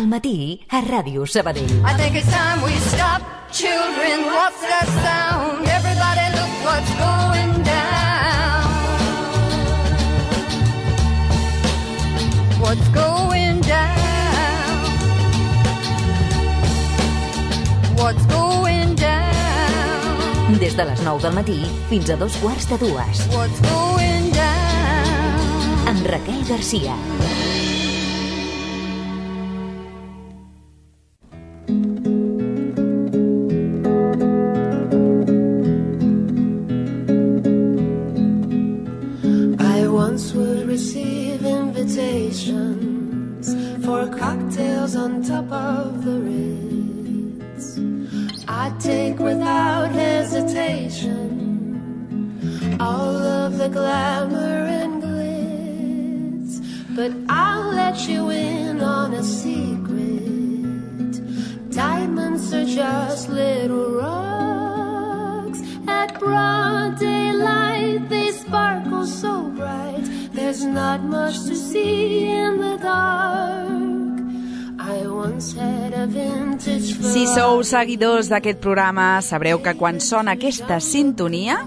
Al matí a Ràdio Sabadell. I think it's time we stop. Children, what's that sound? Everybody look what's going down. What's going down? What's going down? Des de les 9 del matí fins a 2:15. What's going down? Amb Raquel Garcia. For cocktails on top of the Ritz, I take without hesitation all of the glamour and glitz, but I'll let you in on a secret. Diamonds are just little rocks. At broad daylight they sparkle so bright. There's not much to see in the dark. I once had a vintage Ferrari. Si sou seguidors d'aquest programa, sabreu que quan sona aquesta sintonia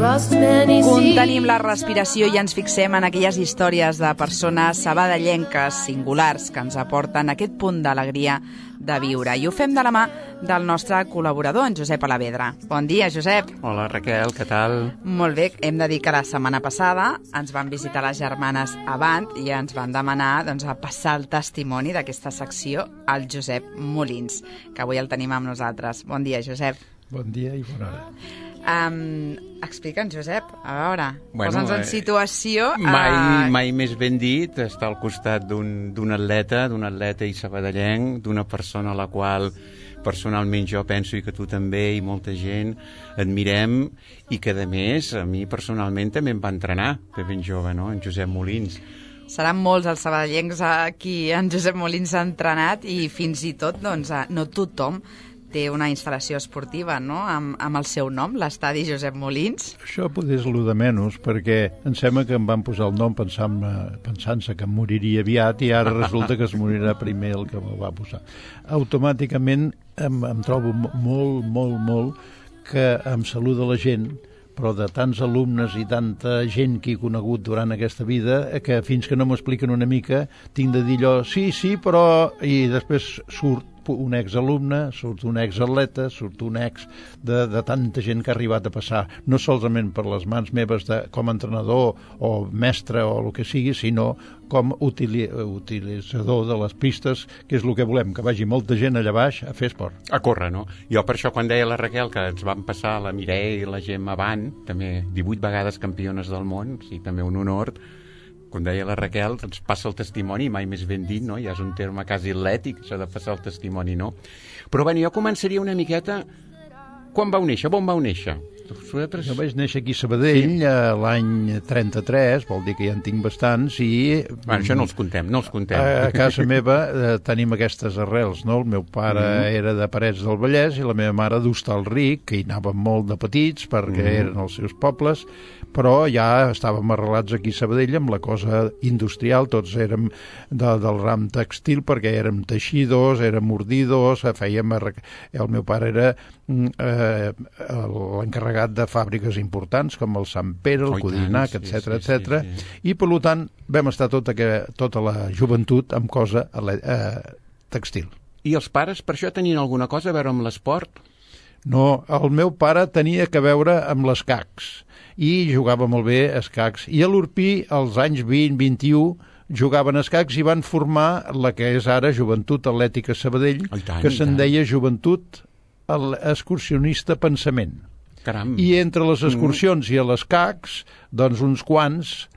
contenim la respiració i ens fixem en aquelles històries de persones sabadellenques singulars que ens aporten aquest punt d'alegria de viure. I ho fem de la mà del nostre col·laborador, en Josep Alavedra. Bon dia, Josep. Hola, Raquel, què tal? Molt bé. Hem de dir que la setmana passada ens van visitar les germanes Avant i ens van demanar a passar el testimoni d'aquesta secció al Josep Molins, que avui el tenim amb nosaltres. Bon dia, Josep. Bon dia i bona hora. Explica'ns, Josep, a veure, posa'ns en situació. Mai més ben dit, estar al costat d'un atleta i sabadellenc, d'una persona a la qual personalment jo penso i que tu també i molta gent admirem i que a més a mi personalment també em va entrenar de ben jove, no? En Josep Molins. Seran molts els sabadellencs a qui en Josep Molins ha entrenat i fins i tot, no tothom té una instal·lació esportiva, no?, amb el seu nom, l'estadi Josep Molins. Això potser és el de menys, perquè em sembla que em van posar el nom pensant-se que em moriria aviat i ara resulta que es morirà primer el que me'l va posar. Automàticament em trobo molt que em saluda la gent, però de tants alumnes i tanta gent que he conegut durant aquesta vida que fins que no m'expliquen una mica tinc de dir allò, sí, però... i després surt un exalumne, surt un exatleta, surt un ex de tanta gent que ha arribat a passar, no solament per les mans meves com a entrenador o mestre o el que sigui, sinó com utilitzador de les pistes, que és el que volem, que vagi molta gent allà baix a fer esport. A córrer, no? Jo per això quan deia la Raquel que ens van passar la Mireia i la Gemma Avant, també 18 vegades campiones del món, sí, també un honor. Quan deia la Raquel, ens passa el testimoni, mai més ben dit, no? Ja és un terme quasi atlètic, això de passar el testimoni, no? Però bé, jo començaria una miqueta... Quan vau néixer? On vau néixer? Jo vaig néixer aquí a Sabadell l'any 33, vol dir que ja en tinc bastants, i... Bueno, això no els contem. A casa meva tenim aquestes arrels, no? El meu pare era de Parets del Vallès i la meva mare d'Hostalric, que hi anàvem molt de petits perquè eren els seus pobles, però ja estàvem arrelats aquí a Sabadell amb la cosa industrial, tots érem del ram textil perquè érem teixidors, érem ordidors, fèiem... El meu pare era l'encarregat de fàbriques importants com el Sant Pere, el Codinac, etc. I per tant vam estar tota la joventut amb cosa textil. I els pares per això tenien alguna cosa a veure amb l'esport? No, el meu pare tenia que veure amb les escacs i jugava molt bé a escacs. I a l'Urpí, als anys 20-21, jugaven a escacs i van formar la que és ara Joventut Atlètica Sabadell, que se'n deia Joventut Excursionista Pensament. Caram. I entre les excursions i els escacs, doncs uns quants,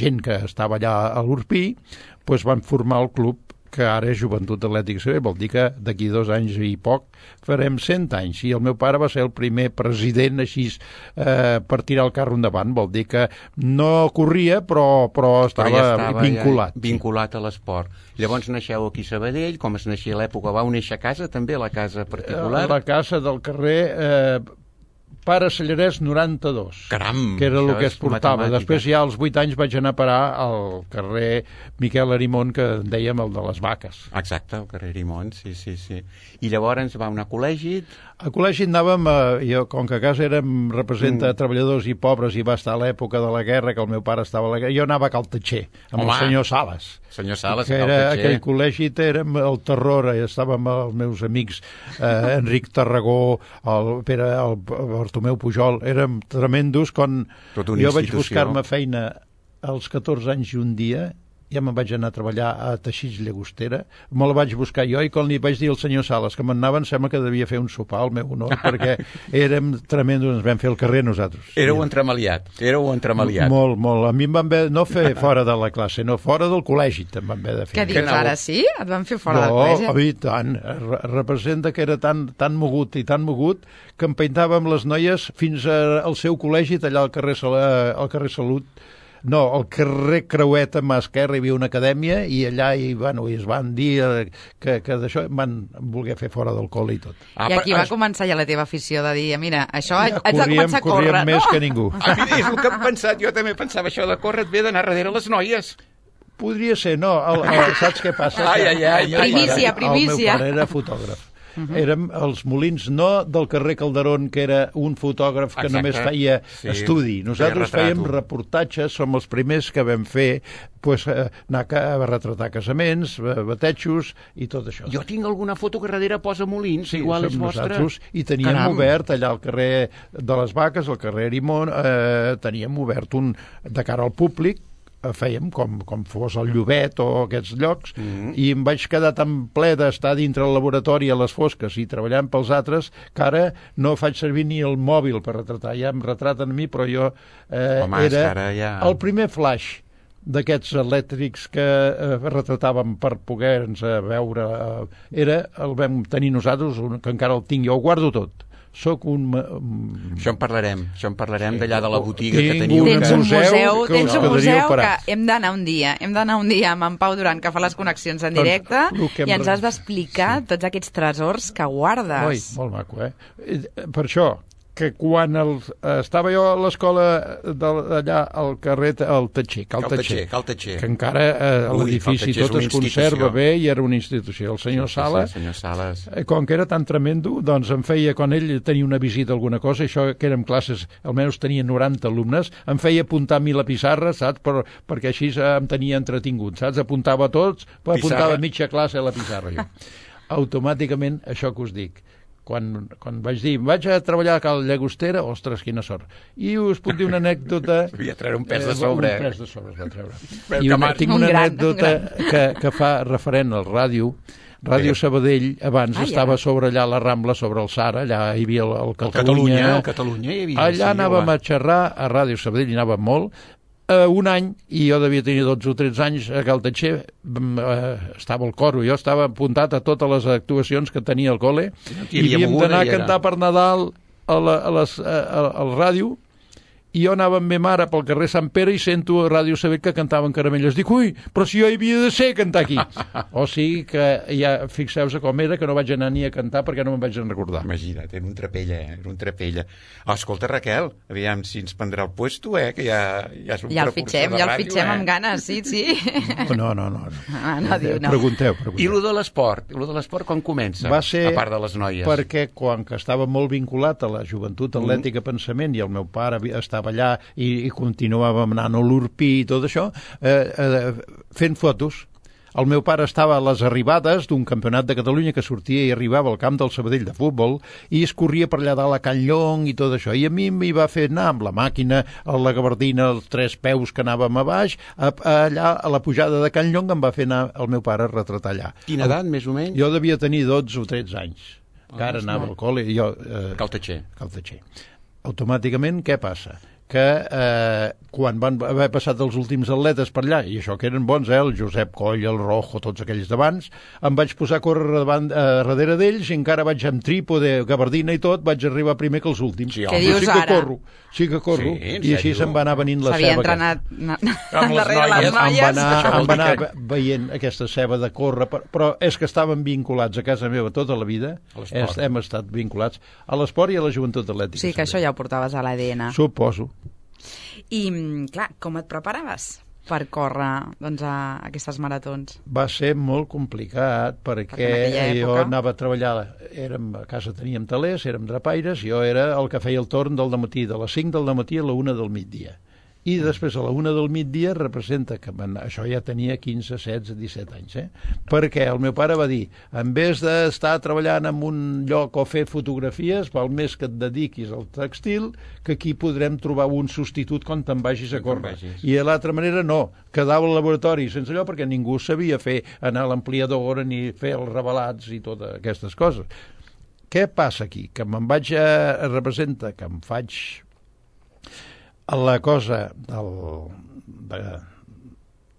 gent que estava allà a l'Urpí, doncs van formar el club que ara és Joventut Atlètica Sabadell, vol dir que d'aquí 2 anys i poc farem 100 anys, i el meu pare va ser el primer president així per tirar el carro endavant, vol dir que no corria però estava vinculat. Vinculat a l'esport. Llavors naixeu aquí a Sabadell, com es naixia a l'època, vau néixer a casa també, a la casa particular? La casa del carrer... Pare Sallarès 92. Caram! Que era el que es portava. Matemàtica. Després ja als 8 anys vaig anar a parar al carrer Miquel Arimon, que en dèiem el de les vaques. Exacte, el carrer Arimon, sí. I llavors va anar a col·legi. A col·legi anàvem, jo, com que a casa érem representa treballadors i pobres i va estar a l'època de la guerra, que el meu pare estava a la guerra, jo anava a Caltatxer, amb el senyor Sales. Senyor Sales, que era aquell col·legi, érem el terror, estàvem amb els meus amics Enric Tarragó, el Bartomeu Pujol, érem tremendos. Quan jo vaig buscar-me feina als 14 anys i un dia, ja me'n vaig anar a treballar a Teixits Llagostera, me la vaig buscar jo i quan li vaig dir al senyor Sales que m'anava, em sembla que devia fer un sopar al meu honor, perquè érem tremendos, ens vam fer el carrer nosaltres. Éreu entremaliat. Molt, molt. A mi em van haver, no fer fora de la classe, no, fora del col·legi em van haver de fer. Què dius, ara sí? Et van fer fora del col·legi? No, i tant. Representa que era tan mogut que em peintàvem les noies fins al seu col·legi, allà al carrer Salut. No, al carrer Creuet a mà esquerra hi havia una acadèmia i allà es van dir que d'això van voler fer fora del col·le i tot. I aquí va començar ja la teva afició de dir, mira, això haig de començar a córrer, no? Corríem més que ningú. És el que hem pensat, jo també pensava això de córrer, et ve d'anar darrere les noies. Podria ser, no, saps què passa? Primícia. El meu pare era fotògraf. Érem els Molins, no del carrer Calderón, que era un fotògraf que només feia estudi. Nosaltres fèiem reportatges, som els primers que vam fer anar a retratar casaments, batejos i tot això. Jo tinc alguna foto que darrere posa Molins, igual és vostra. I teníem obert allà al carrer de les Vaques, al carrer Arimon, teníem obert un de cara al públic, fèiem com fos el Llobet o aquests llocs, i em vaig quedar tan ple d'estar dintre el laboratori a les fosques i treballant pels altres que ara no faig servir ni el mòbil per retratar. Ja em retraten a mi, però jo era el primer flash d'aquests elèctrics que retratàvem per poder-nos veure. El vam tenir nosaltres, que encara el tinc, jo ho guardo tot. Soc un... Això en parlarem d'allà de la botiga que teniu. Tens un museu que hem d'anar un dia amb en Pau Duran, que fa les connexions en directe, i ens has d'explicar tots aquests tresors que guardes. Oi, molt maco, Per això, que quan estava jo a l'escola allà al carrer Cal Tatxer, que encara l'edifici tot es conserva bé i era una institució. El senyor Sales, com que era tan tremendo, doncs em feia, quan ell tenia una visita a alguna cosa, això que érem classes, almenys tenia 90 alumnes, em feia apuntar a mi la pissarra, saps? Perquè així em tenia entretingut, saps? Apuntava a tots, apuntava mitja classe a la pissarra jo. Automàticament, això que us dic, quan vaig dir, vaig a treballar a Cal Llagostera, ostres, quina sort. I us puc dir una anècdota... Havia de treure un pes de sobre. Un pes de sobre es va treure. I tinc una anècdota que fa referent al ràdio. Ràdio Sabadell, abans estava sobre allà la Rambla, sobre el Sara, allà hi havia el Catalunya. El Catalunya hi havia. Allà anàvem a xerrar, a Ràdio Sabadell hi anàvem molt. Un any, i jo devia tenir 12 o 13 anys, a Caltatxer estava al coro, jo estava apuntat a totes les actuacions que tenia al col·le i havíem d'anar a cantar per Nadal al ràdio, i jo anava amb ma mare pel carrer Sant Pere i sento a Ràdio Sabadell que cantaven Caramelles. Dic, ui, però si jo hi havia de ser a cantar aquí. O sigui que ja fixeu-se com era, que no vaig anar ni a cantar perquè no me'n vaig recordar. Imagina't, era un trapella, escolta, Raquel, aviam si ens prendrà el puesto, que ja és un precursor de ràdio. Ja el fitxem amb ganes, sí. No. No. Pregunteu. I lo de l'esport quan comença? Va ser a part de les noies. Perquè quan estava molt vinculat a la joventut atlètica pensament i el meu pare estava allà i continuàvem anant a l'Urpí i tot això, fent fotos. El meu pare estava a les arribades d'un campionat de Catalunya que sortia i arribava al camp del Sabadell de futbol i es corria per allà dalt a Can Llong i tot això. I a mi m'hi va fer anar amb la màquina, a la gabardina, els 3 peus que anàvem a baix, allà a la pujada de Can Llong em va fer anar el meu pare a retratar allà. Quina edat, més o menys? Jo devia tenir 12 o 13 anys. Encara anava al col·le. Caltatxer. Automàticament, què passa? que quan van haver passat els últims atletes per allà, i això que eren bons, el Josep Coll, el Rojo, tots aquells d'abans, em vaig posar a córrer darrere d'ells i encara vaig amb trípode, gabardina i tot, vaig arribar primer que els últims. Sí, què dius ara? Sí que corro. I així se'm va anar venint la ceba. S'havia entrenat darrere les noies. Em va anar veient aquesta ceba de córrer, però és que estàvem vinculats a casa meva tota la vida, hem estat vinculats a l'esport i a la joventut atlètica. Sí, que això ja ho portaves a l'ADN. Suposo. I, clar, com et preparaves per córrer a aquestes maratons? Va ser molt complicat perquè jo anava a treballar, a casa teníem talers, érem drapaires, jo era el que feia el torn del dematí, de les 5 del dematí a la 1 del migdia. I després a la 1 del migdia representa que això ja tenia 15, 16, 17 anys, perquè el meu pare va dir, en vez d'estar treballant en un lloc o fer fotografies, val més que et dediquis al textil, que aquí podrem trobar un substitut quan te'n vagis a córrer. I de l'altra manera no, quedava al laboratori sense allò perquè ningú sabia anar a l'ampliador ni fer els revelats i totes aquestes coses. Què passa aquí? Que representa que em faig la cosa jo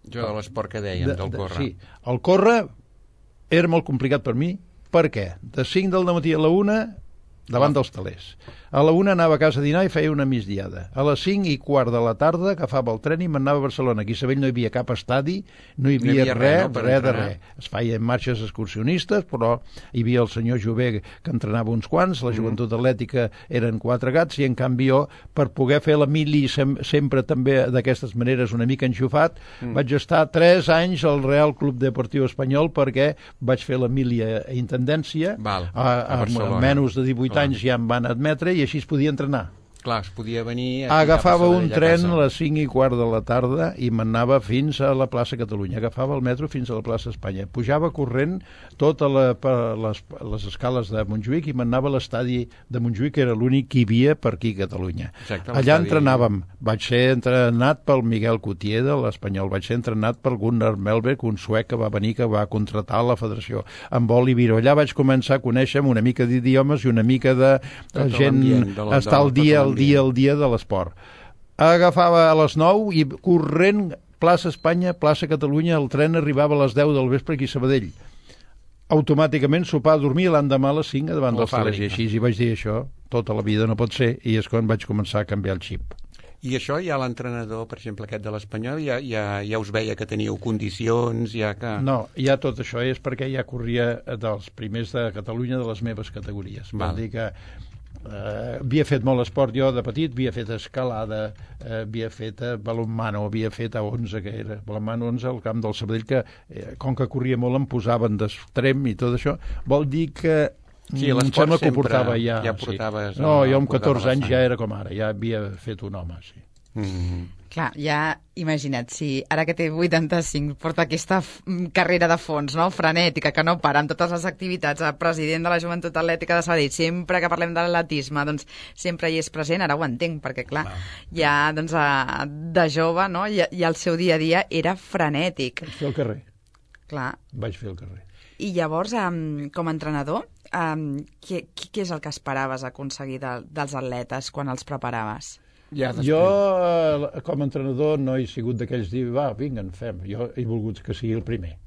de l'esport que dèiem, del córrer. Sí, el córrer era molt complicat per mi. Per què? De 5 del dematí a la 1, davant dels talers. A la 1 anava a casa a dinar i feia una migdiada. A les 5:15 de la tarda agafava el tren i m'anava a Barcelona. Aquí a Sabell no hi havia cap estadi, no hi havia res de res. Es feien marxes excursionistes, però hi havia el senyor Jové que entrenava uns quants, la joventut atlètica eren 4 gats, i en canvi jo, per poder fer la mili sempre també d'aquestes maneres una mica enxufat, vaig estar 3 anys al Real Club Deportiu Espanyol perquè vaig fer la mili a Intendència, a menys de 18 anys ja em van admetre i així es podia entrenar. Clar, es podia venir... Agafava un tren a les 5:15 de la tarda i m'anava fins a la plaça Catalunya. Agafava el metro fins a la plaça Espanya. Pujava corrent totes les escales de Montjuïc i m'anava a l'estadi de Montjuïc, que era l'únic que hi havia per aquí a Catalunya. Exacte, allà entrenàvem. Vaig ser entrenat pel Miguel Coutier de l'Espanyol. Vaig ser entrenat pel Gunnar Melberg, un suec que va venir, que va contratar la federació. Amb Oliviro. Allà vaig començar a conèixer una mica d'idiomes i una mica de gent... estar al dia de l'esport. Agafava a les 9 i corrent plaça Espanya, plaça Catalunya, el tren arribava a les 10 del vespre aquí a Sabadell. Automàticament sopar, dormir, l'endemà a les 5 davant dels talers. I així hi vaig dir, això tota la vida no pot ser, i és quan vaig començar a canviar el xip. I això ja l'entrenador, per exemple, aquest de l'Espanyol, ja us veia que teníeu condicions, ja que... No, ja tot això és perquè ja corria dels primers de Catalunya de les meves categories. Vol dir que havia fet molt esport jo de petit, havia fet escalada, havia fet balonmano, havia fet a 11, que era balonmano 11 al camp del Sabadell, que com que corria molt em posaven d'extrem i tot això. Vol dir que em sembla que ho portava ja. Portaves, no, jo amb 14 anys ja era com ara, ja havia fet un home, sí. Clar, ja imagina't, si ara que té 85 porta aquesta carrera de fons, no?, frenètica, que no para amb totes les activitats, el president de la Joventut Atlètica de Sabadell, sempre que parlem de l'atletisme, doncs sempre hi és present, ara ho entenc, perquè clar, ja doncs, de jove, no?, i el seu dia a dia era frenètic. Vaig fer el carrer. Clar. Vaig fer el carrer. I llavors, com a entrenador, què és el que esperaves aconseguir dels atletes quan els preparaves? Jo, com a entrenador, no he sigut d'aquells dir, va, vinga, en fem. Jo he volgut que sigui el primer.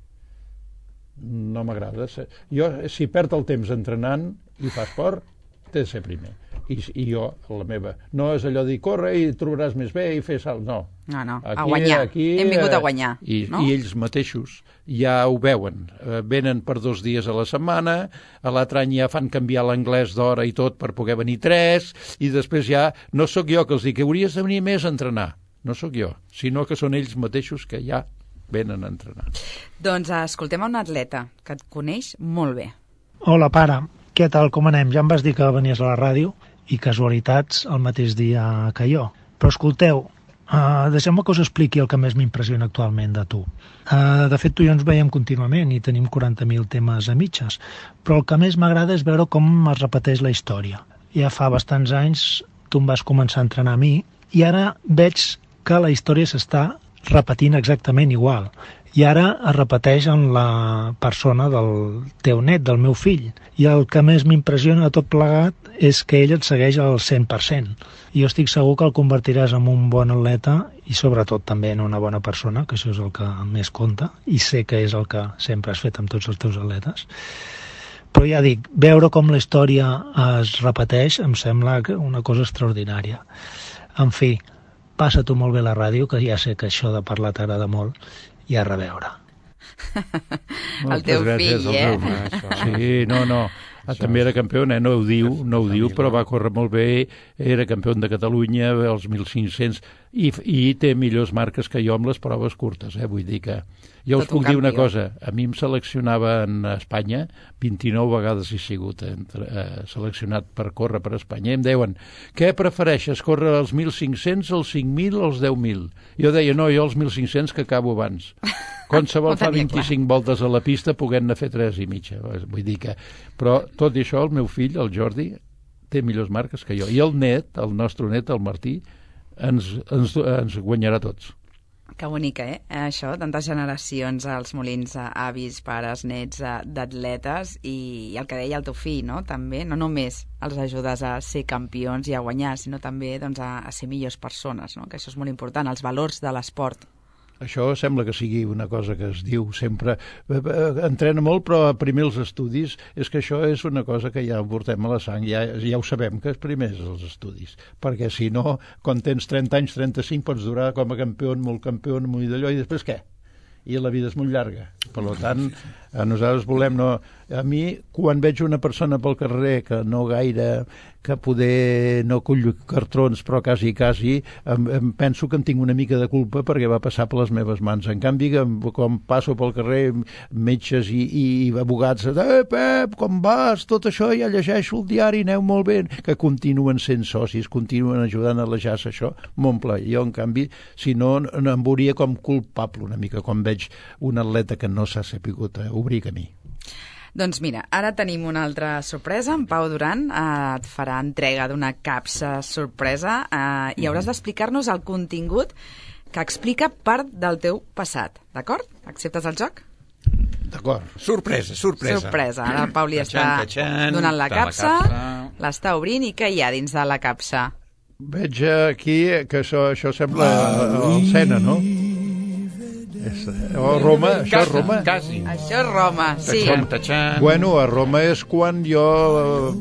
No m'agrada. Jo, si perd el temps entrenant i fa esport, té de ser primer. I jo, la meva, no és allò de dir, corre i trobaràs més bé i fer salt, no. No, a guanyar. Hem vingut a guanyar. I ells mateixos ja ho veuen. Venen per 2 dies a la setmana, a l'altre any ja fan canviar l'anglès d'hora i tot per poder venir 3, i després ja no sóc jo que els dic que hauries de venir més a entrenar. No sóc jo, sinó que són ells mateixos que ja venen a entrenar. Doncs escoltem a un atleta que et coneix molt bé. Hola, pare. Què tal, com anem? Ja em vas dir que venies a la ràdio i casualitats el mateix dia que jo. Però escolteu, deixeu-me que us expliqui el que més m'impressiona actualment de tu. De fet, tu i jo ens veiem contínuament i tenim 40.000 temes a mitges, però el que més m'agrada és veure com es repeteix la història. Ja fa bastants anys tu em vas començar a entrenar a mi i ara veig que la història s'està repetint exactament igual. I ara es repeteix en la persona del teu net, del meu fill. I el que més m'impressiona de tot plegat és que ell et segueix al 100%. I jo estic segur que el convertiràs en un bon atleta i sobretot també en una bona persona, que això és el que més compta, i sé que és el que sempre has fet amb tots els teus atletes. Però ja dic, veure com la història es repeteix em sembla una cosa extraordinària. En fi, passa tu molt bé la ràdio, que ja sé que això de parlar t'agrada molt, i a reveure. El teu fill, Sí, no. També era campió, no ho diu, però va córrer molt bé, era campió de Catalunya, els 1.500, i té millors marques que jo amb les proves curtes, vull dir que... Jo us puc dir una cosa, a mi em seleccionaven a Espanya, 29 vegades he sigut seleccionat per córrer per Espanya, i em deuen, què prefereixes, córrer els 1.500, els 5.000 o els 10.000? Jo deia, no, jo els 1.500 que acabo abans. Qualsevol fa 25 voltes a la pista, puguem-ne fer 3 i mitja. Vull dir que... Però tot i això, el meu fill, el Jordi, té millors marques que jo. I el net, el nostre net, el Martí, ens guanyarà tots. Que bonica, això, tantes generacions als molins, avis, pares, nets d'atletes, i el que deia el teu fill, no? També, no només els ajudes a ser campions i a guanyar, sinó també doncs, a ser millors persones, no? Que això és molt important, els valors de l'esport. Això sembla que sigui una cosa que es diu sempre. Entrena molt, però primer els estudis. És que això és una cosa que ja ho portem a la sang. Ja ho sabem, que primer és els estudis. Perquè si no, quan tens 30 anys, 35, pots durar com a campió, molt d'allò, i després què? I la vida és molt llarga. Per tant, nosaltres volem... A mi, quan veig una persona pel carrer que no gaire, que poder no cull cartrons, però quasi, em penso que en tinc una mica de culpa perquè va passar per les meves mans. En canvi, quan passo pel carrer, metges i abogats, Pep, com vas? Tot això ja llegeixo el diari, aneu molt bé, que continuen sent socis, continuen ajudant a alejar-se això, m'omple. Jo, en canvi, si no, em veuria com culpable una mica, quan veig un atleta que no s'ha sapigut obrir camí. Doncs mira, ara tenim una altra sorpresa. En Pau Duran et farà entrega d'una capsa sorpresa i hauràs d'explicar-nos el contingut que explica part del teu passat, d'acord? Acceptes el joc? D'acord. Sorpresa. Ara el Pau li està donant la capsa, l'està obrint, i què hi ha dins de la capsa? Veig aquí que això sembla el Sena, no? Roma, això és Roma? Quasi. Això és Roma, sí. Bueno, a Roma és quan jo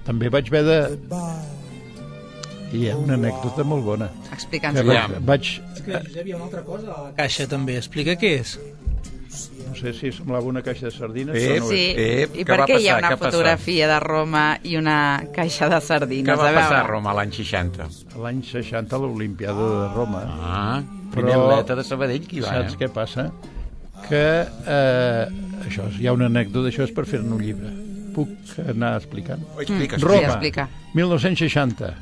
també vaig haver de... Hi ha una anècdota molt bona. Explica'ns. És que hi havia una altra cosa a la caixa també. Explica què és. No sé si semblava una caixa de sardines. Sí, i per què hi ha una fotografia de Roma i una caixa de sardines? Què va passar a Roma l'any 60? L'any 60, a l'Olimpiada de Roma. Primer atleta de Sabadell que hi va. Saps què passa? Que això, hi ha una anècdota, això és per fer-ne un llibre. Puc anar explicant? Roma, 1960.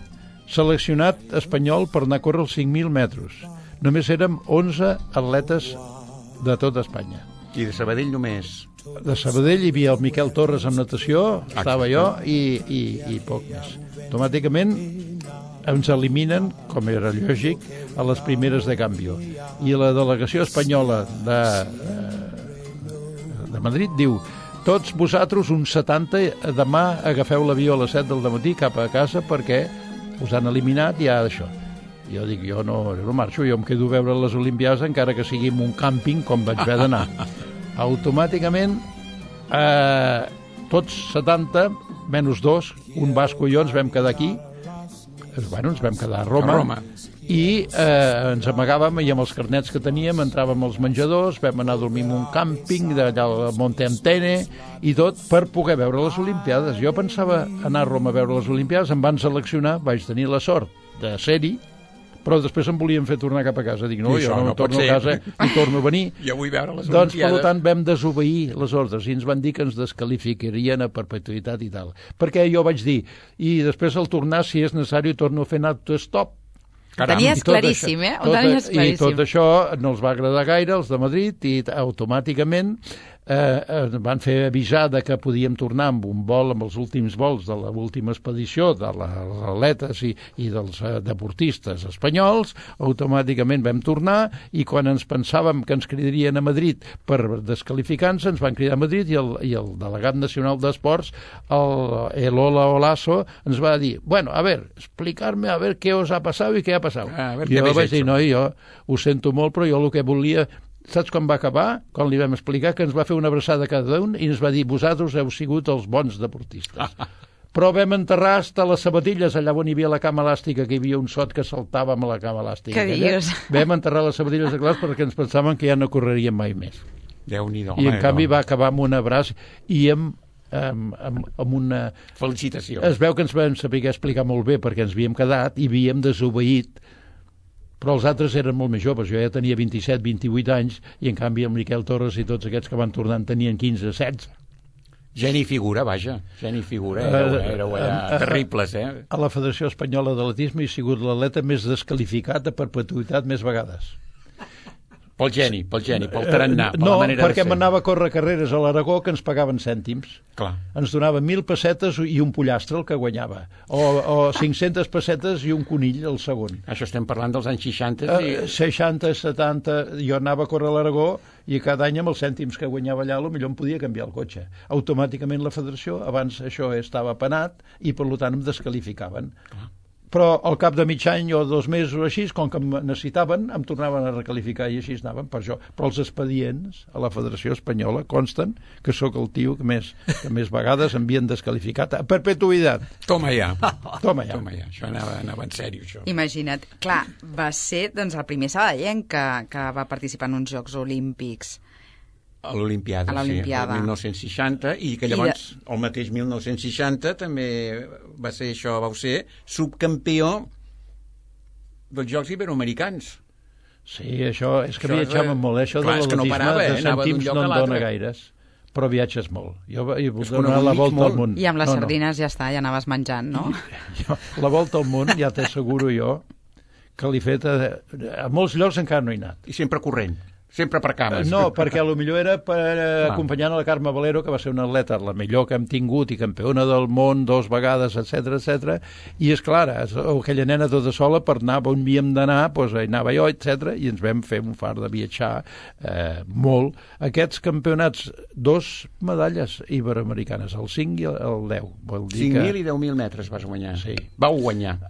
Seleccionat espanyol per anar a córrer els 5.000 metres. Només érem 11 atletes de tot Espanya. I de Sabadell només? De Sabadell hi havia el Miquel Torres en natació, estava jo, i poc més. Automàticament ens eliminen, com era lògic, a les primeres de canvi. I la delegació espanyola de Madrid diu: tots vosaltres, uns 70, demà agafeu l'avió a les 7 del matí cap a casa perquè us han eliminat i ja d'això. Jo dic, jo no marxo, jo em quedo a veure les Olimpiades encara que sigui en un càmping com vaig haver d'anar. Automàticament tots 70 menys 2, un basco i jo ens vam quedar aquí. Bueno, ens vam quedar a Roma. I ens amagàvem i amb els carnets que teníem entràvem als menjadors, vam anar a dormir en un càmping d'allà al Monte Antene i tot per poder veure les Olimpiades. Jo pensava anar a Roma a veure les Olimpiades, em van seleccionar, vaig tenir la sort de ser-hi, però després em volien fer tornar cap a casa. Dic, no, jo no torno a casa ni torno a venir. Jo vull veure les Olimpiades. Olimpiades. Per tant, vam desobeir les ordres i ens van dir que ens descalificarien a perpetuïtat i tal. Perquè jo vaig dir, i després al tornar, si és necessari, torno a fer autostop. Ho tenies claríssim, I tot això no els va agradar gaire, els de Madrid, i automàticament van fer avisar que podíem tornar amb un vol, amb els últims vols de l'última expedició de les atletes i dels deportistes espanyols. Automàticament vam tornar i quan ens pensàvem que ens cridarien a Madrid per descalificar-nos, ens van cridar a Madrid i el delegat nacional d'esports, el Ola Olaso, ens va dir, bueno, a ver, explicar-me a ver què us ha passat i què ha passat. Jo vaig dir, no, jo ho sento molt, però jo el que volia... Saps quan va acabar? Quan li vam explicar que ens va fer una abraçada a cada un i ens va dir, vosaltres heu sigut els bons deportistes. Però vam enterrar hasta les sabatilles allà on hi havia la cama elàstica, que hi havia un sot que saltava amb la cama elàstica. Què dius? Vam enterrar les sabatilles de clars perquè ens pensaven que ja no correrien mai més. Déu-n'hi-do. I en canvi va acabar amb un abraç i amb una... Felicitació. Es veu que ens vam saber explicar molt bé perquè ens havíem quedat i havíem desobeït, però els altres eren molt més joves. Jo ja tenia 27, 28 anys i en canvi el Miquel Torres i tots aquests que van tornant tenien 15, 16. Geni figura, vaja. Geni figura. Éreu terribles, A la Federació Espanyola d'Atletisme he sigut l'atleta més descalificat a perpetuïtat més vegades. Pel geni, pel tarannà, per no, la manera de ser. perquè m'anava a córrer carreres a l'Aragó que ens pagaven cèntims. Clar. Ens donaven 1.000 pessetes i un pollastre el que guanyava. O 500 pessetes i un conill el segon. Això estem parlant dels anys 60 i... 60, 70... Jo anava a córrer a l'Aragó i cada any amb els cèntims que guanyava allà potser em podia canviar el cotxe. Automàticament la federació, abans això estava penat i per tant em descalificaven. Clar. Però al cap de mig any o 2 mesos o així, com que em necessitaven, em tornaven a recalificar i així anaven per això. Però els expedients a la Federació Espanyola consten que sóc el tio que més vegades m'havien descalificat a perpetuïtat. Toma ja. Toma ja. Això anava en sèrio, això. Imagina't. Clar, va ser doncs, el primer sabadellenc que va participar en uns Jocs Olímpics. A l'Olimpiada, sí, el 1960, i que llavors, el mateix 1960, també va ser subcampió dels Jocs Iberoamericans. Sí, això és que viatjàvem molt, això de l'atletisme de cèntims no en dona gaires, però viatges molt. Jo he volgut donar la volta al món. I amb les sardines ja està, ja anaves menjant, no? La volta al món, ja t'asseguro jo, que l'he fet a molts llocs encara no he anat. I sempre corrent. Sempre per cames. No, perquè potser era per acompanyant a la Carme Valero, que va ser una atleta la millor que hem tingut i campiona del món 2 vegades, etc. I és clar, aquella nena tota sola per anar on havíem d'anar, doncs anava jo, etc. I ens vam fer un far de viatjar molt. Aquests campionats, 2 medalles iberoamericanes, el 5 i el 10. 5.000 i 10.000 metres vas guanyar. Sí. Vau guanyar.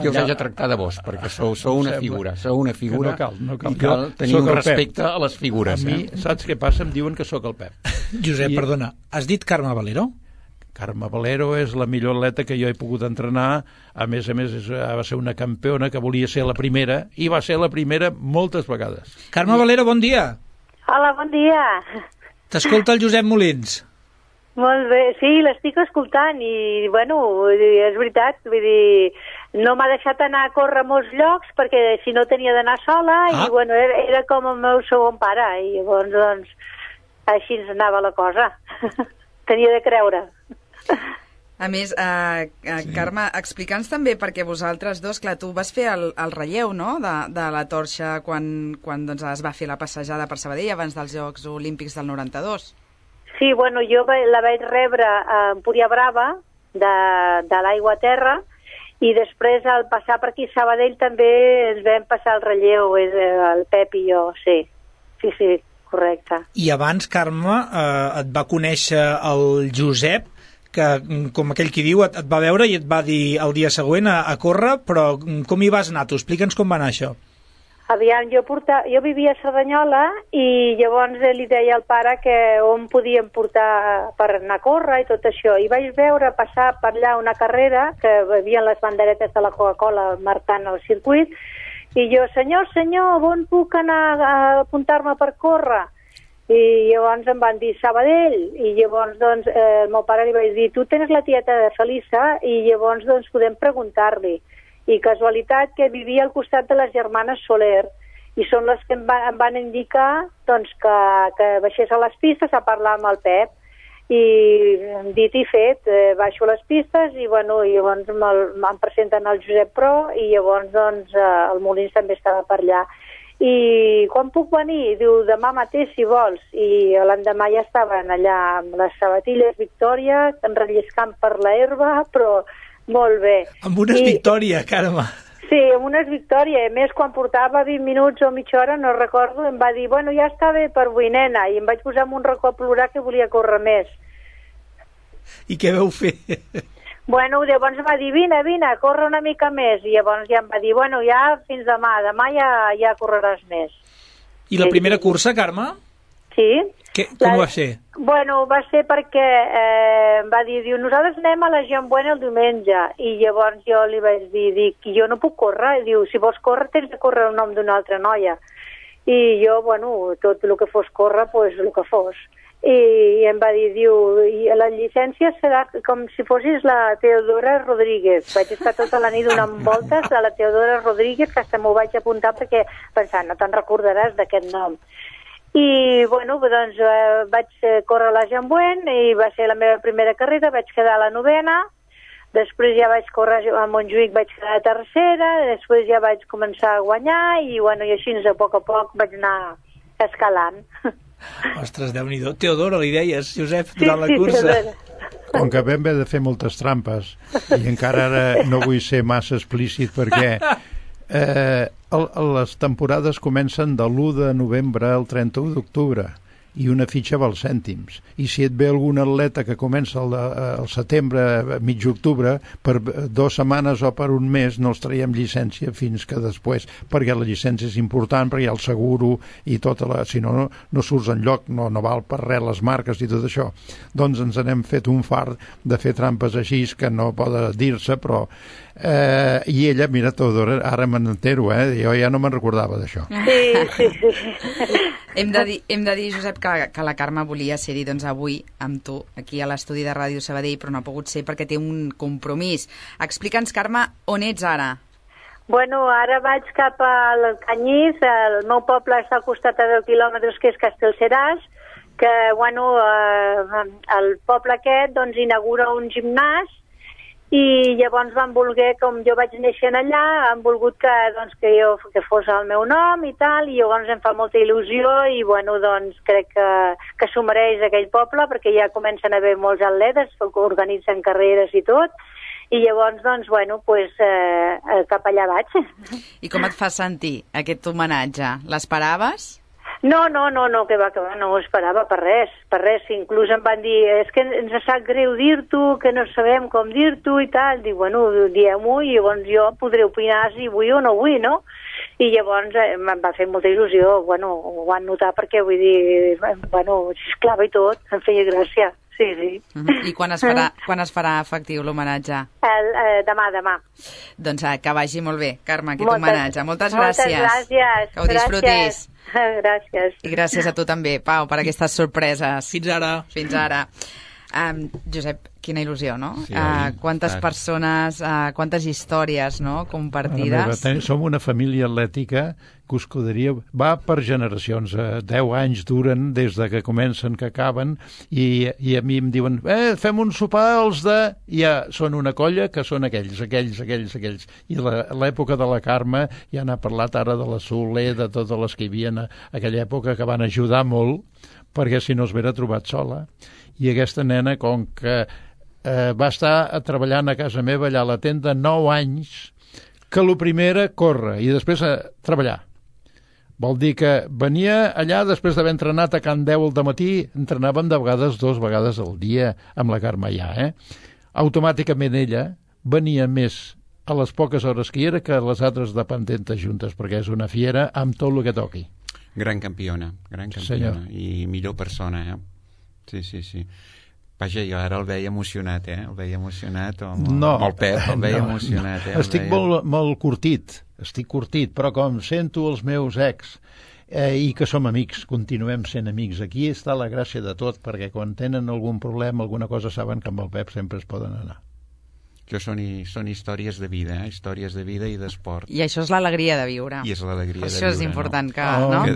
Jo us haig de tractar de vos, perquè sou una figura. Sou una figura no cal. I cal tenir un respecte a les figures. A mi, saps què passa? Em diuen que sóc el Pep. Josep, perdona, has dit Carme Valero? Carme Valero és la millor atleta que jo he pogut entrenar. A més, va ser una campiona que volia ser la primera, i va ser la primera moltes vegades. Carme Valero, bon dia. Hola, bon dia. T'escolta el Josep Molins. Molt bé, sí, l'estic escoltant i, bueno, és veritat, vull dir, no m'ha deixat anar a córrer a molts llocs perquè si no tenia d'anar sola i, bueno, era com el meu segon pare i llavors, doncs, així ens anava la cosa. Tenia de creure. A més, Carme, explica'ns també, perquè vosaltres dos, clar, tu vas fer el relleu, no?, de la torxa quan doncs, es va fer la passejada per Sabadell abans dels Jocs Olímpics del 92. Sí, bueno, jo la vaig rebre a Empúria Brava, de l'aigua a terra, i després al passar per aquí a Sabadell també ens vam passar el relleu, el Pep i jo, sí. Sí, correcte. I abans, Carme, et va conèixer el Josep, que, com aquell qui diu, et va veure i et va dir el dia següent a córrer, però com hi vas anar tu? Explica'ns com va anar això. Aviam, jo vivia a Cerdanyola i llavors li deia al pare que on podíem portar per anar a córrer i tot això. I vaig veure passar per allà una carrera que hi havia les banderetes de la Coca-Cola marcant el circuit i jo, senyor, on puc anar a apuntar-me per córrer? I llavors em van dir Sabadell i llavors doncs el meu pare li vaig dir tu tens la tieta de Felisa i llavors doncs podem preguntar-li. I casualitat que vivia al costat de les germanes Soler i són les que em van indicar doncs, que baixés a les pistes a parlar amb el Pep i dit i fet, baixo a les pistes i bueno, llavors me'n presenten el Josep Pro i llavors doncs, el Molins també estava per allà i quan puc venir? Diu, demà mateix si vols. I l'endemà ja estaven allà amb les sabatilles Victòria, enrelliscant per la herba, però molt bé. Amb unes Victòria, Carme. Sí, amb unes Victòria. A més, quan portava 20 minuts o mitja hora, no recordo, em va dir, bueno, ja està bé per avui, nena, i em vaig posar amb un racó a plorar que volia córrer més. I què veu fer? Bueno, llavors em va dir, vine, corre una mica més, i llavors ja em va dir, bueno, ja fins demà ja correràs més. I la primera cursa, Carme? Sí. Com va ser? Bueno, va ser perquè va dir, nosaltres anem a la Jambuena el diumenge, i llavors jo li vaig dir, jo no puc córrer, i diu, si vols córrer tens de córrer el nom d'una altra noia. I jo, bueno, tot el que fos córrer, doncs el que fos. I em va dir, i la llicència serà com si fossis la Teodora Rodríguez. Vaig estar tota la nit donant voltes a la Teodora Rodríguez, que hasta m'ho vaig apuntar perquè pensant, no te'n recordaràs d'aquest nom. I, bueno, doncs vaig córrer a la Jambuent i va ser la meva primera carrera, vaig quedar a la 9ª, després ja vaig córrer a Montjuïc, vaig quedar a tercera, després ja vaig començar a guanyar i, bueno, i així a poc vaig anar escalant. Ostres, Déu-n'hi-do. Teodora, li deies, Josep, durant la cursa. Com que vam haver de fer moltes trampes i encara ara no vull ser massa explícit perquè les temporades comencen de l'1 de novembre al 31 d'octubre i una fitxa val cèntims. I si et ve algun atleta que comença al setembre, mig octubre, per 2 setmanes o per un mes no els traiem llicència fins que després, perquè la llicència és important, perquè hi ha el seguro i tota la... Si no, no surts enlloc, no val per res les marques i tot això. Doncs ens n'hem fet un fart de fer trampes així que no poden dir-se, però... I ella, mira, Teodora, ara me n'entero, jo ja no me'n recordava d'això. Sí. Hem de dir, Josep, que la Carme volia ser-hi doncs, avui amb tu, aquí a l'estudi de Ràdio Sabadell, però no ha pogut ser perquè té un compromís. Explica'ns, Carme, on ets ara? Bueno, ara vaig cap al Canyís, el meu poble està al costat a 10 quilòmetres, que és Castellseràs, que, bueno, el poble aquest, doncs, inaugura un gimnàs, i llavors van voler, com jo vaig néixer allà, han volgut que fos el meu nom i tal, i llavors em fa molta il·lusió i bueno, doncs crec que s'ho mereix aquell poble perquè ja comencen a haver molts atletes que organitzen carreres i tot, i llavors doncs bueno, cap allà vaig. I com et fa sentir aquest homenatge? L'esperaves? No, que va, no ho esperava per res, inclús em van dir, és que ens sap greu dir-t'ho, que no sabem com dir-t'ho i tal, dic, bueno, diem-ho i llavors jo podré opinar si vull o no vull, no? I llavors em va fer molta il·lusió, bueno, ho van notar perquè vull dir, bueno, esclava i tot, em feia gràcia. Sí. I quan es farà efectiu l'homenatge? Demà. Doncs que vagi molt bé, Carme, aquest homenatge. Moltes gràcies. Moltes gràcies. Que ho disfrutis. Gràcies. I gràcies a tu també, Pau, per aquestes sorpreses. Fins ara. Josep, quina il·lusió, no? Sí, quantes persones, quantes històries, no?, compartides. Som una família atlètica que us escuderia, va per generacions, 10 anys duren des de que comencen que acaben, i a mi em diuen, fem un sopar els de... Ja són una colla que són aquells. I l'època de la Carme, ja n'ha parlat ara de la Soler, de totes les que hi havia en aquella època, que van ajudar molt, perquè si no es vera trobat sola. I aquesta nena, com que va estar treballant a casa meva allà a la tenda 9 anys, que el primer era córrer i després a treballar. Vol dir que venia allà després d'haver entrenat a Can 10 al dematí, entrenàvem de vegades 2 vegades al dia amb la Carme allà. Automàticament ella venia més a les poques hores que hi era que les altres dependentes juntes, perquè és una fiera amb tot el que toqui. Gran campiona. Senyor. I millor persona, Sí. Vaja, jo ara el veia emocionat, El veia emocionat, amb el Pep, el veia emocionat. Estic molt curtit, però com sento els meus ex i que som amics, continuem sent amics. Aquí està la gràcia de tot, perquè quan tenen algun problema, alguna cosa, saben que amb el Pep sempre es poden anar. Són històries de vida, històries de vida i d'esport. I això és l'alegria de viure. I és l'alegria de viure. Això és important,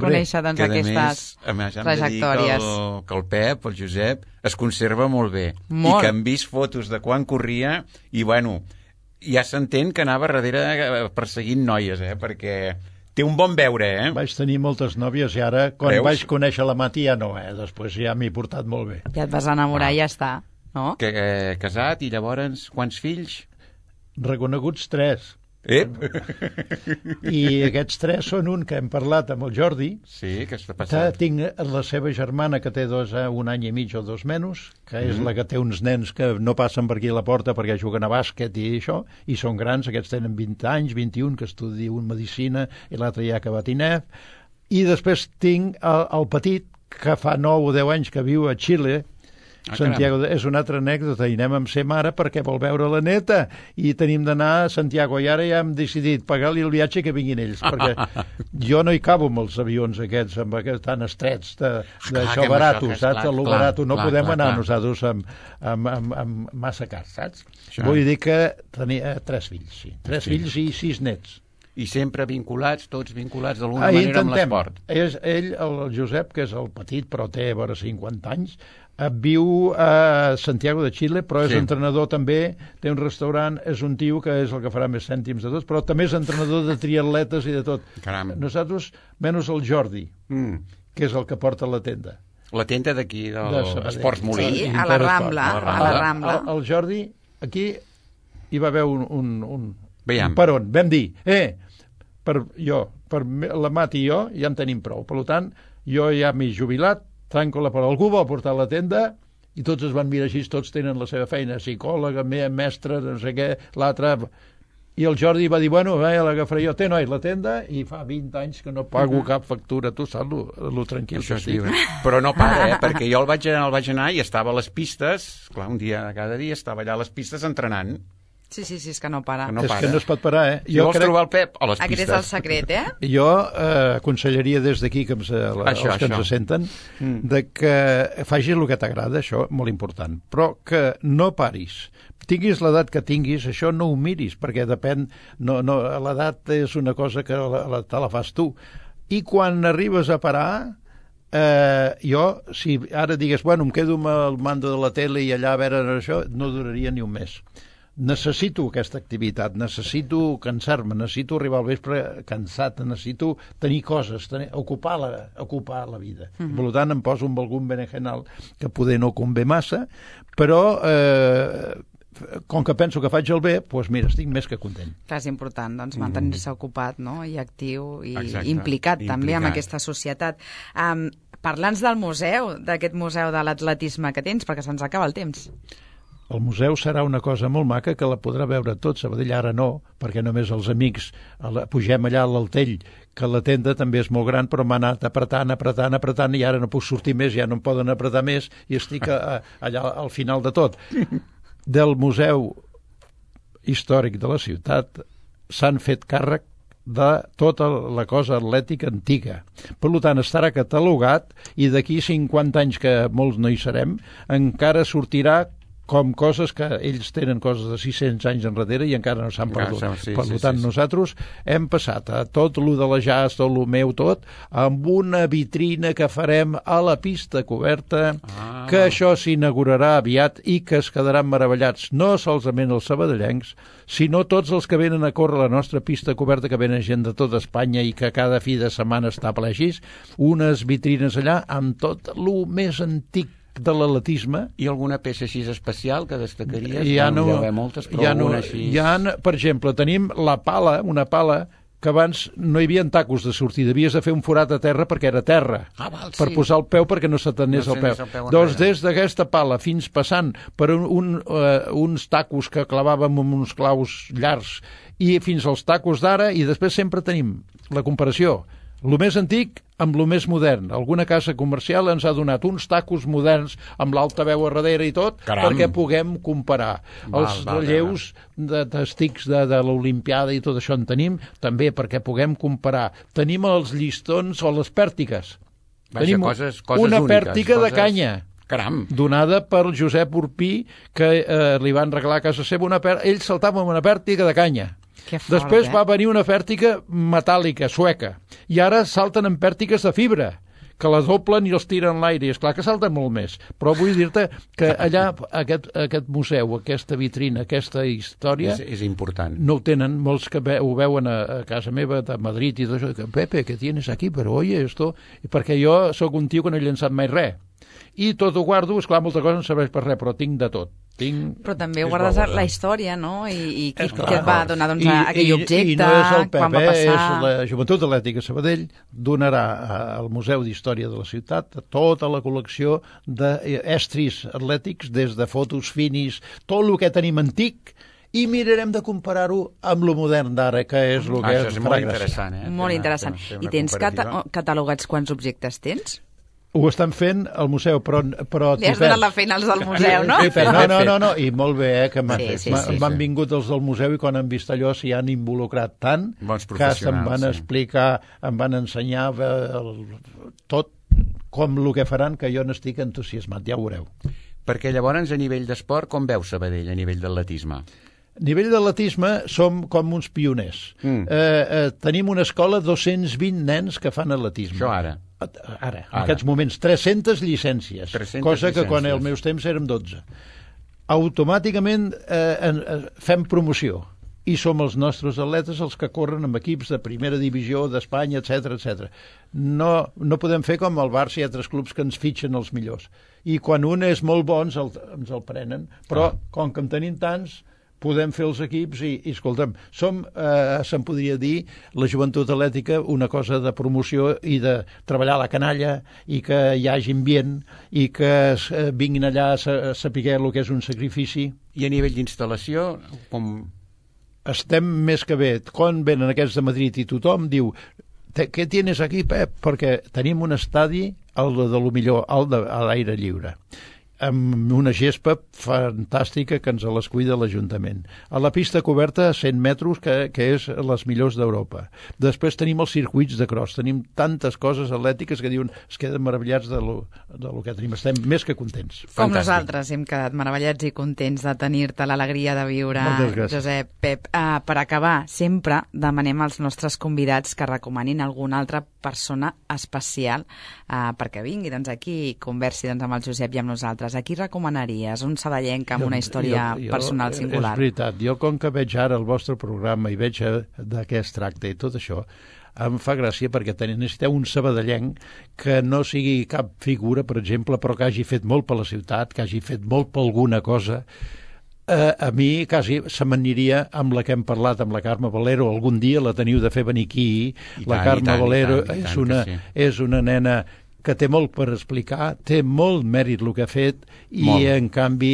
conèixer doncs, aquestes trajectòries. Que el Pep, el Josep, es conserva molt bé. Molt. I que han vist fotos de quan corria i, bueno, ja s'entén que anava darrere perseguint noies, perquè Té un bon veure, Vaig tenir moltes nòvies i ara, quan vaig conèixer la Mati, ja no, Després ja m'he portat molt bé. Ja et vas enamorar i ja està, no? Casat, i llavors, quants fills? Reconeguts 3. I aquests 3 són un que hem parlat amb el Jordi. Sí, què està passant? Tinc la seva germana, que té 1 any i mig o 2 menys, que és la que té uns nens que no passen per aquí a la porta perquè juguen a bàsquet i això, i són grans, aquests tenen 20 anys, 21, que estudien medicina, i l'altre ja ha acabat INEF. I després tinc el petit, que fa 9 o 10 anys que viu a Xile. Santiago és una altra anècdota, i anem amb ser mare perquè vol veure la neta i tenim d'anar a Santiago, i ara ja hem decidit pagar-li el viatge que vinguin ells, perquè jo no hi cabo amb els avions aquests tan estrets d'això barato, saps? El barato no podem anar nosaltres amb massa car, saps? Vull dir que tenia 3 fills, sí. 3 fills i 6 nets. I sempre vinculats, tots vinculats d'alguna manera amb l'esport. Ell, el Josep, que és el petit, però té vora 50 anys, viu a Santiago de Xile, però és entrenador també, té un restaurant, és un tio que és el que farà més cèntims de tots, però també és entrenador de triatletes i de tot. Caram. Nosaltres, menys el Jordi, que és el que porta la tenda. La tenda d'aquí, d'Esports Molí. Sí, a la Rambla. El Jordi, aquí hi va haver un Veiem. Per on? Vam dir, per la Mati i jo ja en tenim prou. Per tant, jo ja m'he jubilat, tanco per algú va portar la tenda i tots es van mirar així, tots tenen la seva feina, psicòloga, mestre, no sé què, l'altre... I el Jordi va dir, bueno, l'agafaré jo, té, noi, la tenda, i fa 20 anys que no pago cap factura, tu saps lo tranquil que estic. Però no para, perquè jo el vaig anar i estava a les pistes, clar, un dia cada dia estava allà a les pistes entrenant. Sí, és que no para. És que no es pot parar, Si vols trobar el Pep, a les pistes. Aquest és el secret, Jo aconsellaria des d'aquí, que els que ens senten, de que facis el que t'agrada, això, molt important, però que no paris. Tinguis l'edat que tinguis, això no ho miris, perquè depèn... L'edat és una cosa que te la fas tu. I quan arribes a parar... jo, si ara digues, bueno, em quedo amb el mando de la tele i allà a veure això, no duraria ni un mes. Necessito aquesta activitat, necessito cansar-me, necessito arribar al vespre cansat, necessito tenir coses, ocupar la vida. Per tant, em poso amb algun berenjenal que poder no convé massa, però com que penso que faig el bé, doncs mira, estic més que content. Clar, és important, doncs, mantenir-se ocupat, no?, i actiu i implicat també amb aquesta societat. Parla'ns del museu, d'aquest museu de l'atletisme que tens, perquè se'ns acaba el temps. El museu serà una cosa molt maca que la podrà veure tot. Sabadell ara no, perquè només els amics pugem allà a l'Altell, que la tenda també és molt gran, però m'ha anat apretant, i ara no puc sortir més, ja no em poden apretar més, i estic allà al final de tot. Del Museu Històric de la ciutat s'han fet càrrec de tota la cosa atlètica antiga. Per tant, estarà catalogat i d'aquí 50 anys, que molts no hi serem, encara sortirà com coses que ells tenen coses de 600 anys enrere i encara no s'han perdut. Per tant, nosaltres hem passat a tot lo de la jazz, tot lo meu, tot, amb una vitrina que farem a la pista coberta, que això s'inaugurarà aviat i que es quedaran meravellats, no solament els sabadellencs, sinó tots els que venen a córrer a la nostra pista coberta, que venen gent de tota Espanya i que cada fi de setmana està ple així, unes vitrines allà amb tot lo més antic de l'atletisme. I alguna peça així especial que destacaries? Ja no, moltes, però alguna així... Per exemple, tenim la pala, una pala que abans no hi havia tacos de sortida, havies de fer un forat a terra perquè era terra, per posar el peu perquè no se t'anés el peu. Doncs des d'aquesta pala fins passant per uns tacos que clavàvem amb uns claus llargs i fins als tacos d'ara, i després sempre tenim la comparació. El més antic amb el més modern. Alguna casa comercial ens ha donat uns tacos moderns amb l'altaveu a darrere i tot, perquè puguem comparar. Els relleus d'estics de l'Olimpiada i tot això en tenim, també perquè puguem comparar. Tenim els llistons o les pèrtiques. Tenim una pèrtica de canya. Caram. Donada per Josep Urpí, que li van regalar a casa seva ell saltava amb una pèrtica de canya. Després va venir una pèrtica metàl·lica, sueca, i ara salten en pèrtiques de fibra, que la doblen i els tiren en l'aire, i esclar que salten molt més. Però vull dir-te que allà, aquest museu, aquesta vitrina, aquesta història... És important. No ho tenen, molts que ho veuen a casa meva, de Madrid i tot això, que Pepe, què tienes aquí? Però oye, esto... Perquè jo sóc un tio que no he llançat mai res. I tot ho guardo, esclar, molta cosa no serveix per res, però tinc de tot. Però també guardes la història, no? I què et va donar aquell objecte, i no és el quan va passar... És la Joventut Atlètica Sabadell, donarà al Museu d'Història de la ciutat tota la col·lecció d'estris atlètics, des de fotos finis, tot el que tenim antic, i mirarem de comparar-ho amb lo modern d'ara, que és el que és molt interessant. Molt interessant. I tens catalogats quants objectes tens? Ho estan fent al museu, però... Li has donat la feina als del museu, no? No, i molt bé, que m'han vingut els del museu i quan han vist allò s'hi han involucrat tant que se'm van explicar, em van ensenyar tot com el que faran, que jo n'estic entusiasmat, ja ho veureu. Perquè llavors, a nivell d'esport, com veus Sabadell, a nivell d'atletisme? A nivell d'atletisme som com uns pioners. Tenim una escola, 220 nens que fan atletisme. Això ara? Ara, en aquests moments, 300 llicències, cosa que quan als meus temps érem 12. Automàticament fem promoció i som els nostres atletes els que corren amb equips de primera divisió d'Espanya, etc. No podem fer com al Barça i altres clubs que ens fitxen els millors. I quan un és molt bo ens el prenen, però com que en tenim tants, podem fer els equips i escolta'm, som, se'n podria dir, la Joventut Atlètica, una cosa de promoció i de treballar a la canalla i que hi hagi ambient i que vinguin allà a saber el que és un sacrifici. I a nivell d'instal·lació, com... Estem més que bé. Quan venen aquests de Madrid i tothom diu què tienes aquí, Pep? Perquè tenim un estadi, el de lo millor, el a l'aire lliure, amb una gespa fantàstica que ens les cuida l'Ajuntament. A la pista coberta a 100 metres, que és les millors d'Europa. Després tenim els circuits de cross, tenim tantes coses atlètiques que diuen es queden meravellats de lo que tenim. Estem més que contents. Com nosaltres hem quedat meravellats i contents de tenir-te l'alegria de viure, Josep. Pep, per acabar, sempre demanem als nostres convidats que recomanin alguna altra persona especial perquè vingui aquí i conversi amb el Josep i amb nosaltres. A qui recomanaries? Un sabadellenc amb una història personal singular? És veritat. Jo, com que veig ara el vostre programa i veig de què es tracta i tot això, em fa gràcia perquè necessiteu un sabadellenc que no sigui cap figura, per exemple, però que hagi fet molt per la ciutat, que hagi fet molt per alguna cosa. A mi quasi se m'aniria amb la que hem parlat, amb la Carme Valero. Algun dia la teniu de fer venir aquí. La Carme Valero és una nena que té molt per explicar, té molt mèrit el que ha fet i en canvi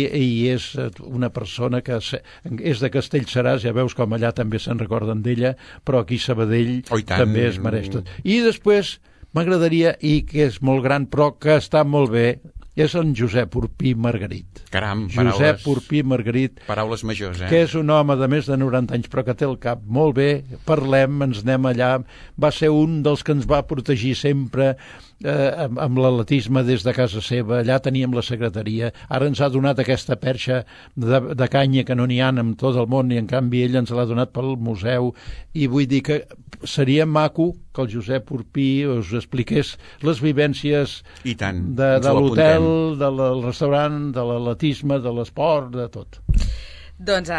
és una persona que és de Castellseràs, ja veus com allà també se'n recorden d'ella, però aquí Sabadell també es mereix tot. I després m'agradaria, i que és molt gran però que està molt bé, és en Josep Urpí Margarit. Caram, Josep Urpí Margarit. Paraules majors, que és un home de més de 90 anys, però que té el cap molt bé. Parlem, ens anem allà. Va ser un dels que ens va protegir sempre amb l'atletisme des de casa seva. Allà teníem la secretaria. Ara ens ha donat aquesta perxa de canya que no n'hi ha en tot el món i en canvi ell ens l'ha donat pel museu. I vull dir que seria maco que el Josep Urpí us expliqués les vivències de l'hotel, del restaurant, de l'atletisme, de l'esport, de tot. Doncs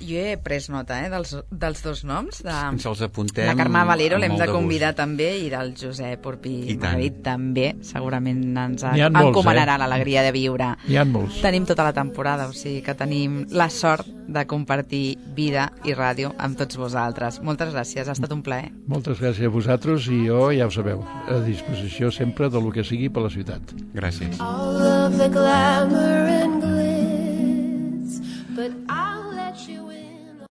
jo he pres nota dels dos noms. Ens els apuntem. La Carme Valero l'hem de convidar també i del Josep Urpí Margarit també. Segurament ens encomanarà l'alegria de viure. Hi ha molts. Tenim tota la temporada, o sigui que tenim la sort de compartir vida i ràdio amb tots vosaltres. Moltes gràcies, ha estat un plaer. Moltes gràcies a vosaltres i jo, ja ho sabeu, a disposició sempre de lo que sigui per la ciutat. Gràcies. All of the glamour and glitz, but I'll let you in.